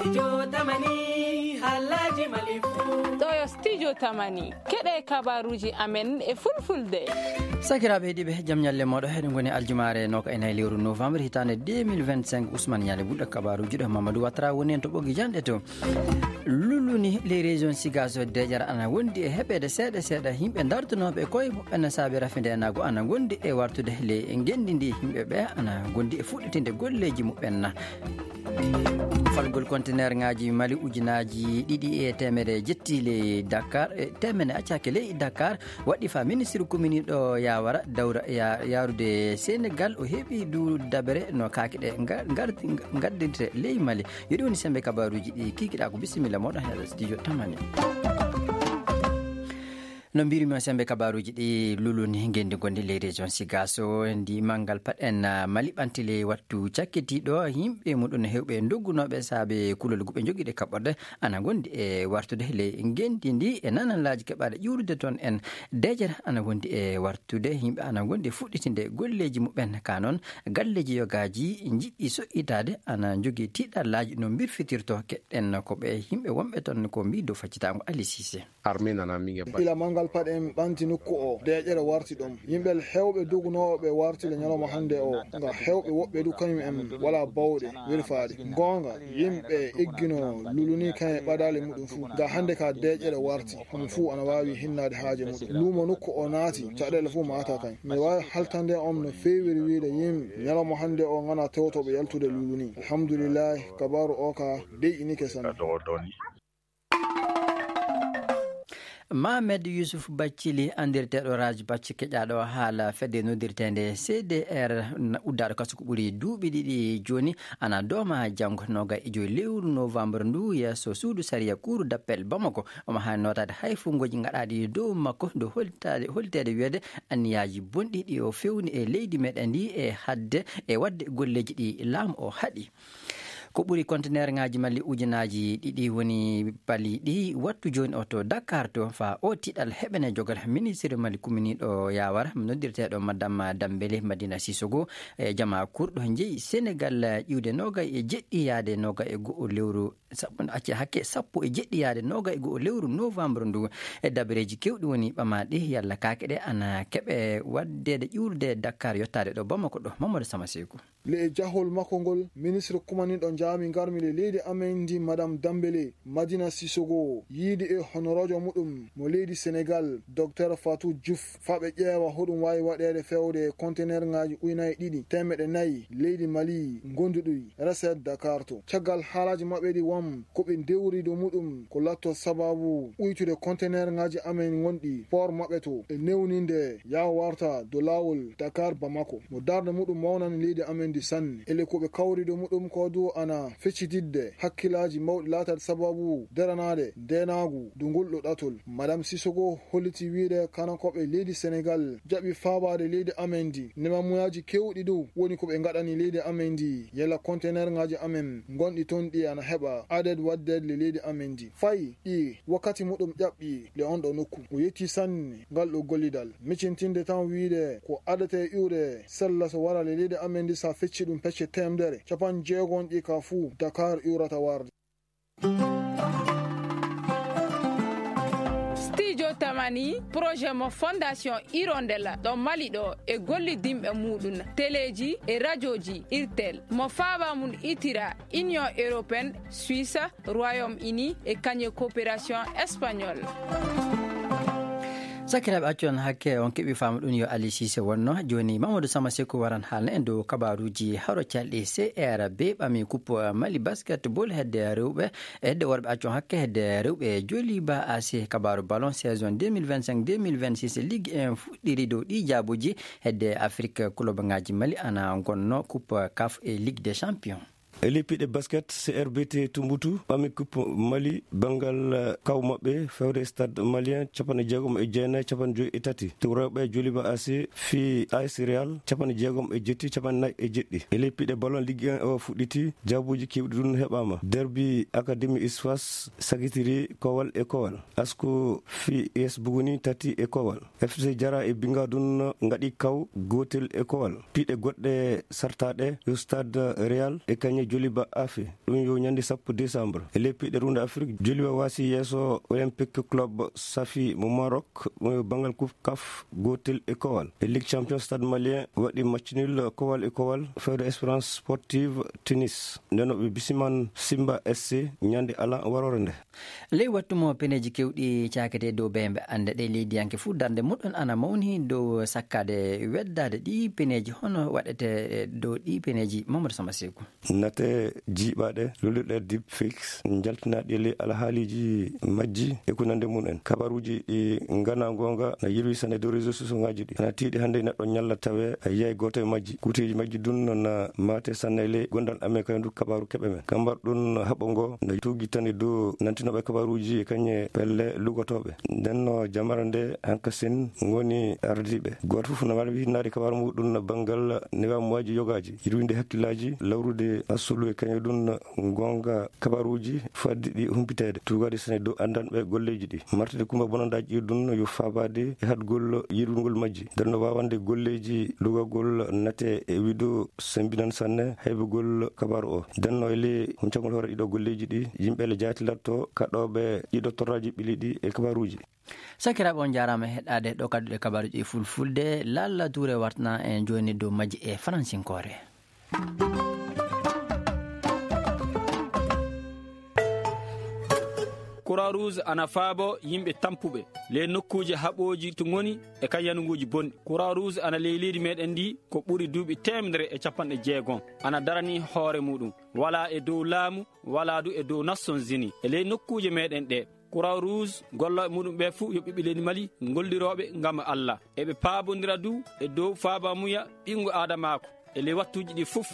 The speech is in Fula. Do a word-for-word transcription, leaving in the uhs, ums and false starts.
Studio Tamani, haalaaji Mali fuu. Ɗo yo Studio Tamani, keɗe kabaruuji amen e fulfulde. Sakiraaɓe heɗiiɓe, jam ñalle mooɗo. Eɗen ngoni aljumaare nooka e nayi lewru novembre hitaande deux mille vingt-cinq. Ousmane Ñaale Bulɗo kabaruuji ɗo, Mamadou Ouattara woni en to ɓoggi janɗe to. Luluni ley région Sigaso, deeƴere ana wondi e heɓeede seeɗa seeɗa. Yimɓe dartunooɓe koye muɓɓen saabe rafindenaago ana ngondi e wartude ley ngenndi ndi. Yimɓe ɓe ana ngondi e fuɗɗitinde golleeji muɓɓen. Falgol konteneerŋaaji Mali ujunaaji ɗiɗi e teemedere jetti ley Dakar, e teemedere accaaki ley Dakar, waɗɗi fa ministre kuminiiɗo Yawara dawra ya-, yaarude Senegal. O heɓi du dabere no kaake ɗe nga-, ngar-, ngaddirte ley Mali. Yo ɗi woni sembe kabaruuji ɗi kikiɗaa ko. Bisimilla mooɗon he Studio Tamani. No mbirumi on, sembe kabaruuji ɗi luluni ngenndi ngondi ley région Sigaso, ndi manngal paɗen, ah, Mali ɓanti ley wattu cakkitiiɗo. Yimɓe muɗum heewɓe doggunooɓe saabe kulol guɓe jogiiɗe kaɓɓorde ana ngondi e wartude ley ngenndi ndi. E nanalaaji keɓaaɗe ƴuurude toon en, deeƴere ana wondi e wartude. Yimɓe ana ngondi e fuɗɗitinde golleeji muɓɓen. Ka noon, galleeji yogaaji njiɗɗi so'itaade ana njogii tiiɗallaaji no mbirfitirtoo. Keɗɗen ko ɓe yimɓe wonɓe toon ko mbii dow faccitaango. Ali Sise. Armée nana minge ba. Ila manngal paɗen ɓanti nokku o, deeƴere warti ɗon. Yimɓe heewɓe dogunooɓe warti le ñalawma hannde o, nga heewɓe woɓɓe du kañum en walaa bawɗe werfaade. Goonga, yimɓe eggino luluni kañum e ɓadaale muɗum fuu. Nga hannde ka deeƴere warti, homo fuu ana waawi hinnaade haaje muɗum. Luumo nokku o naati, caɗeele fuu maata kañ. Mi waawi haltande on no feewiri wiide yimɓe ñalawma hannde o ngana tewtooɓe yaltude luluni. Alhamdulillahi, kabaaru o ka deƴƴinike sanne. Mahamed Yusuf Baccili, anndirteeɗo Raj Bacci, keƴaaɗo haala fedde noddirteende C D R, na uddaaɗo kaso ko ɓuri duuɓi ɗiɗi jooni, ana dooma janngo nooga e joyi lewru novembre ndu yeeso suudu sariya Cour d'appel Bamako. Omo haani nootaade hay fuungoji gaɗaaɗi dow makko, dow holtaade, holteede wiyeede anniyaaji bonɗi ɗi o fewni e leydi meɗen ndi e hadde e waɗde golleeji ɗi laamu o haɗi. Ko ɓuri konteneerŋaaji Mali ujunaaji ɗiɗi woni paliiɗi wattu jooni o to Dakar to, faa o tiiɗal heɓene jogal ministre Mali kuminiiɗo Yawara, noddirteeɗo Madame Dambele Madina Sissoko, e jamaa kurɗo jeyi Senegal ƴiwde noogay e jeɗɗi yaade noogay e go'o lewru, sappo, acce hakke, sappo e jeɗɗi yaade noogay e go'o lewru novembre ndu. E dabareeji keewɗi woni ɓamaaɗi, yalla kaake ɗe ana keɓe waɗdeede ƴuurde Dakar yottaade ɗo Bamako ɗo. Mamadou Sama Seeku. Le e jahol makko ngol, ministre kumaniiɗo jaami ngarmi le leydi amen ndi, Madame Dambele Madina Sissoko, yiidi e honoroojo muɗum mo leydi Senegal, Docteur Fatou Diouf, faa ɓe ƴeewa hoɗum waawi waɗeede fewde e konteneerŋaaji ujunaaji ɗiɗi teemeɗɗe nayi leydi Mali ngonduɗi recette Dakar to. Caggal haalaaji maɓɓe ɗi wam, ko ɓe ndewri dow muɗum ko latto sababu uytude konteneerŋaaji amen ngonɗi port maɓɓe to e newninde yaa warta dow laawol Dakar Bamako. Mo darnde muɗum mawnani leydi amen ndi sanne. Ele ko ɓe kawri dow muɗum ko du ana feccitidde hakkillaaji mawɗi laataade sababu daranaade ndeenaagu dow ngol ɗo ɗatol. Madame Sissoko holliti wiide kanakoɓe leydi Senegal jaɓi faabaade leydi amen ndi. Nemamuyaaji keewɗi dow woni ko ɓe ngaɗani leydi amen ndi. Yalla konteneerŋaaji amen ngonɗi toon ɗi ana heɓa adet waɗdeede le leydi amen ndi. Fay ɗi wakkati muɗum ƴaɓɓi le on ɗo nokku. O yetti sanne ngal ɗo gollidal. Micintinde tan wiide ko adate iwre sella so wara le leydi amen ndi, sa fecci ɗum pecce teemedere, capanɗe jeegom ɗi ka fuu Dakar iwrata warde. Studio Tamani, projet mo Fondation Hirondelle ɗo Mali ɗo e gollidinɓe muɗum, teleeji e rajooji Irtel, mo faaba mum itira Union Européenne, Suisse, Royaume-Uni e kañe coopération espagnole. Sakiraaɓe, accon hakke on keɓi faamu ɗum yo Ali Cissé wonno. Jooni Mamadou Sama Sekou waran haalna en dow kabaruuji haro calɗi. C R B ɓami coupe Mali basketball hedde rewɓe, hedde worɓe, accon hakke hedde rewɓe Joliba A C. Kabaru ballon saison deux mille vingt-cinq deux mille vingt-six Ligue un fuɗɗiri dow ɗi jaabuji hedde Afrique. Club ngaji Mali ana gonno coupe CAF e Ligue des Champions. E ley piɗe basket, C R B T Tumbutu ɓami coupe Mali banngal, eh, kaw maɓɓe fewde Stade Malien capanɗe jeegom e jeenayi, capanɗe joyi e tati. To rewɓe Joliba A C fii A S Real capanɗe jeegom e jetti, capanɗe nayi e jeɗɗi. E ley piɗe ballon Ligue un o fuɗɗiti, jaabuji keewɗi ɗum heɓaama. Derby Académie Isfas sagitiri kowal e kowal. Asko fii U S Buguni tati e kowal. F C Jara e Bingadun ngaɗi kaw gootel e kowal. Piɗe goɗɗe sartaaɗe yo Stade Real e kañe Joliba Afe. Ɗum yo ñande sappo décembre. E leppi ɗe runda Afrik, Joliba wasi yeeso Olympique Club Safi mo Maroc, ɗum yo bangal Coupe caf, gotel e Kowal. E Ligue Champion, Stade Malien waɗi match nul kowal e kowal fewde Espérance Sportive Tunis. Nden o ɓe bisiman Simba S C ñande ala warore nde. Ley wattu mo peneeji kewɗi caakete dow beembe annde ɗe leydiyanke fuu darnde muɗum ana mawni dow sakkaade weddaade ɗi peneeji, hono waɗete dow ɗi peneeji? Mamadou Samba Seeku. Nate jiiɓaaɗe, lullirɗe deepfakes, njaltinaaɗi e ley alhaaliiji majji e ko nande mum en. Kabaruuji ɗi nganaa goonga na yirwi sanne dow réseaux sociaux ngaji ɗi. Ana tiiɗi hannde neɗɗo ñalla tawe a yiyay gooto e majji. Kuuteeji majji dun na maate sanne e ley gondal amen kay ndu kabaaru keɓe men. Kambar ɗun haɓo ngo na tuugi tan e dow nantinooɓe kabaruuji e kañe pelle lugotooɓe. Nden no jamara nde hanka sen ngoni ardiiɓe. Gooto fof na mari winnaade kabaaru muɗum na banngal newamuwaaji yogaaji, yirwinde hakkillaaji, lawrude asulu e kañe ɗum goonga kabaruuji faddi ɗi humpiteede, tuugaade sene dow anndanɓe golleeji ɗi. Martude kumba bonandaaji ɗi ɗum yo faabaade e haɗgol yirwingol majji. Nden no waawande golleeji lugagol nate e wido sembinan sanne haybugol kabaaru o. Nden no e ley huncagol hoore ɗiɗo golleeji ɗi, yimɓe le jaatilatto kaɗooɓe ɗiɗo torraaji ɓili ɗi e kabaaruuji. Sakiraaɓe, on njaaraama heɗaade ɗo kadduɗe kabaaruuji e fulfulde. Lalla Tuure wartana en jooni dow majji e faransinkoore. Croix Rouge ana faabo yimɓe tampuɓe ley nokkuuje haɓooji to ngoni e kan yanuguuji bonɗi. Croix Rouge ana ley leydi meɗen ndi ko ɓuri duuɓi teemedere e capanɗe jeegom. Ana darani hoore muɗum. Walaa e dow laamu, walaa du e dow Nations Unies. E ley nokkuuje meɗen ɗe, Croix Rouge, gollooɓe muɗum ɓe fuu yo ɓiɓɓe leydi Mali, ngollirooɓe ngam Allah. Eɓe paabondira du e dow faabamuya ɓinngu aadamaaku. E ley wattuuji ɗi fuf,